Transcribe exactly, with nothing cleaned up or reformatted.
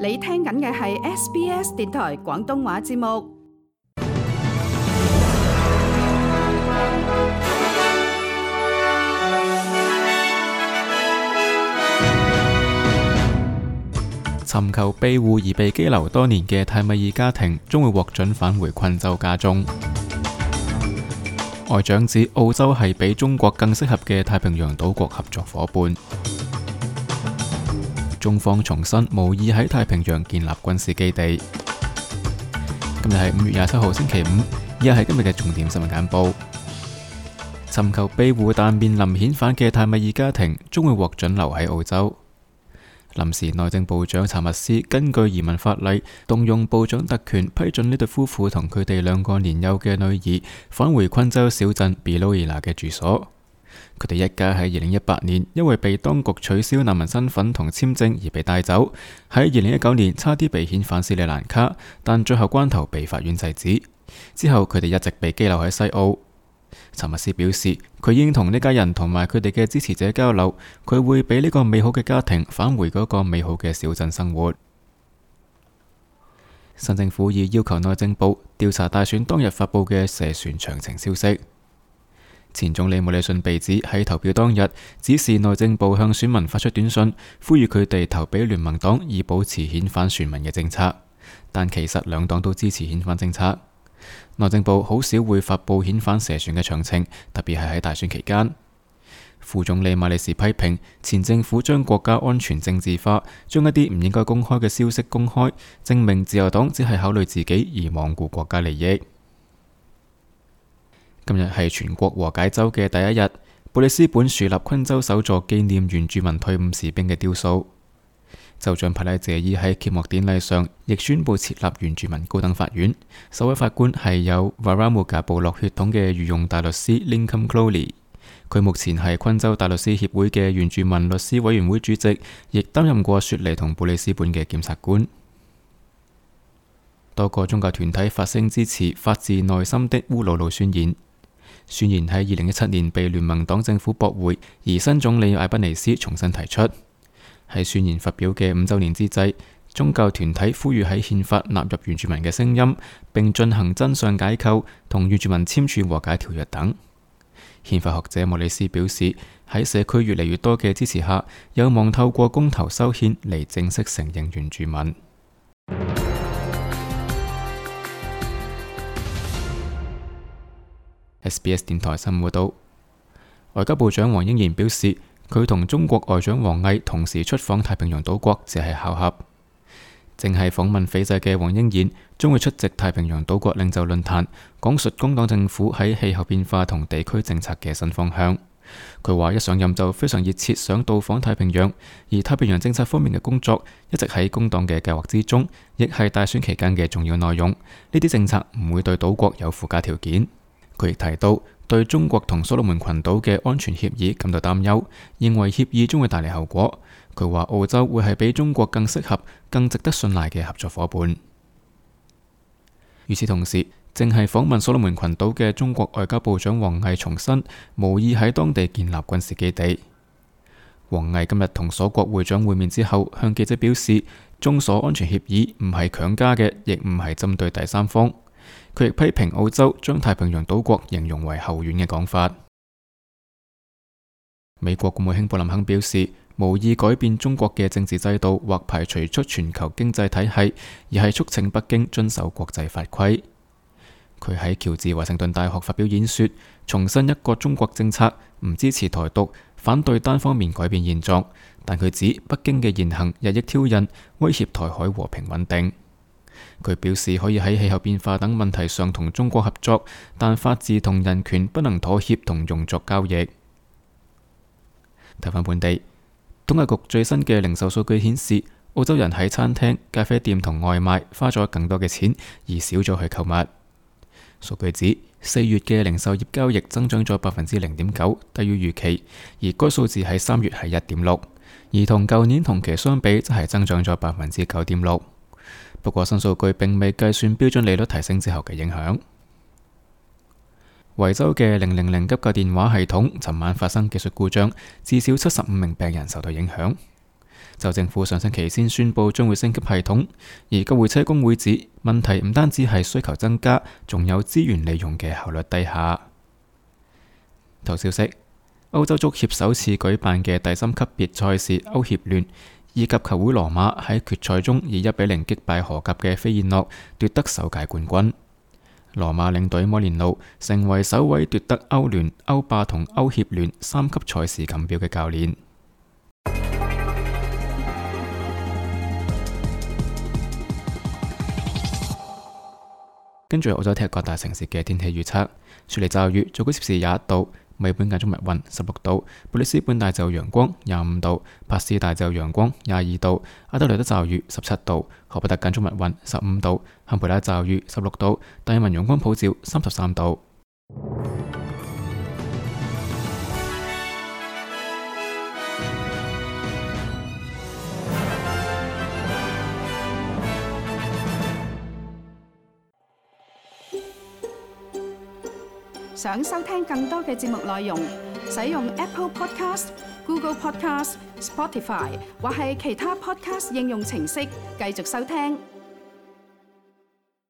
你聽緊嘅係 S B S 電台廣東話節目。尋求庇護而被羈留多年嘅泰米爾家庭將會獲准返回昆州家中。外長指澳洲係比中國更適合嘅太平洋島國合作伙伴。中方重申無意喺太平洋建立軍事基地。今日係五月廿七號星期五，以下係今日嘅重點新聞簡報。尋求庇護但面臨遣返嘅泰米爾家庭將會獲准留喺澳洲。臨時內政部長查密斯根據移民法例，動用部長特權批准呢對夫婦同佢哋兩個年幼嘅女兒返回昆州小鎮 Biloela 嘅住所。佢哋一家喺二零一八年因為被當局取消難民身份同簽證而被帶走，喺二零一九年差啲被遣返斯里蘭卡，但最後關頭被法院制止。之後佢哋一直被羈留喺西澳。查密斯表示，佢已經同呢家人同埋佢哋嘅支持者交流，佢會俾呢個美好嘅家庭返回嗰個美好嘅小鎮生活。新政府已要求內政部調查大選當日發佈嘅社船詳情消息。前總理莫里遜被指喺投票當日指示內政部向選民發出短信，呼籲佢哋投俾聯盟黨以保持遣返選民嘅政策，但其實兩黨都支持遣返政策。內政部好少會發佈遣返社船嘅詳情，特別係喺大選期間。副總理馬里士批評前政府將國家安全政治化，將一啲唔應該公開嘅消息公開，證明自由黨只係考慮自己而罔顧國家利益。今日係全國和解周嘅第一日，布里斯本樹立昆州首座紀念原住民退伍士兵嘅雕塑。州長帕拉謝伊喺揭幕典禮上亦宣布設立原住民高等法院，首位法官係有 Warramuga 部落血統嘅御用大律師 Lincoln Crowley。佢目前係昆州大律師協會嘅原住民律師委員會主席，亦擔任過雪梨同布里斯本嘅檢察官。多個宗教團體發聲支持發自內心的烏魯魯宣言。宣言喺二零一七年被聯盟黨政府駁回，而新總理艾賓尼斯重新提出。喺宣言發表嘅五週年之際，宗教團體呼籲喺憲法納入原住民嘅聲音，並進行真相解構，同原住民簽署和解條約等。憲法學者莫里斯表示，喺社區越嚟越多嘅支持下，有望透過公投修憲嚟正式承認原住民。S B S 電台新聞報道，外交部長黃英賢表示，佢同中國外長王毅同時出訪太平洋島國只係巧合。正係訪問斐濟嘅黃英賢將會出席太平洋島國領袖論壇，講述工黨政府喺氣候變化同地區政策嘅新方向。佢話一上任就非常熱切想到訪太平洋，而太平洋政策方面嘅工作一直喺工黨嘅計劃之中，亦係大選期間嘅重要內容。呢啲政策唔會對島國有附加條件。佢亦提到對中國同所羅門群島嘅安全協議感到擔憂，認為協議將會帶嚟後果。佢話澳洲會係比中國更適合、更值得信賴嘅合作伙伴。與此同時，正係訪問所羅門群島嘅中國外交部長王毅重申，無意喺當地建立軍事基地。王毅今日同所國會長會面之後，向記者表示，中所安全協議唔係強加嘅，亦唔係針對第三方。佢亦批評澳洲將太平洋島國形容為後院嘅講法。美國國務卿布林肯表示，無意改變中國嘅政治制度或排除出全球經濟體系，而係促請北京遵守國際法規。佢喺喬治華盛頓大學發表演說，重申一個中國政策，唔支持台獨，反對單方面改變現狀，但佢指北京嘅言行日益挑釁，威脅台海和平穩定。佢表示可以喺氣候變化等問題上同中國合作，但法治同人權不能妥協同用作交易。睇返本地，統計局最新嘅零售數據顯示，澳洲人喺餐廳、咖啡店同外賣花咗更多嘅錢，而少咗去購物。數據指四月嘅零售業交易增長咗百分之零點九，低於預期，而該數字喺三月係一點六，而同舊年同期相比，則係增長咗百分之九點六。不過新數據並未計算標準利率提升之後嘅影響。維州嘅零零零急救電話系統尋晚發生技術故障，至少七十五名病人受到影響。就政府上星期先宣布將會升級系統，而救護車工會指問題唔單止係需求增加，仲有資源利用嘅效率低下。頭消息：歐洲足協首次舉辦嘅第三級別賽事歐協聯，意甲球會羅馬喺決賽中以一比零擊敗荷甲嘅飛燕諾，奪得首屆冠軍。羅馬領隊摩連奴成為首位奪得歐聯、歐霸同歐協聯三級賽事錦標嘅教練。跟住澳洲踢各大城市嘅天氣預測：雪梨驟雨，最高攝氏廿一度；墨爾本間中密雲，十六度；布里斯本大驟陽光，廿五度；帕斯大驟陽光，廿二度；阿德萊德驟雨，十七度；荷伯特間中密雲，十五度；坎培拉驟雨，十六度；達爾文陽光普照，三十三度。想收聽更多嘅節目內容，使用 Apple Podcast、Google Podcast、Spotify 或係其他 Podcast 應用程式繼續收聽。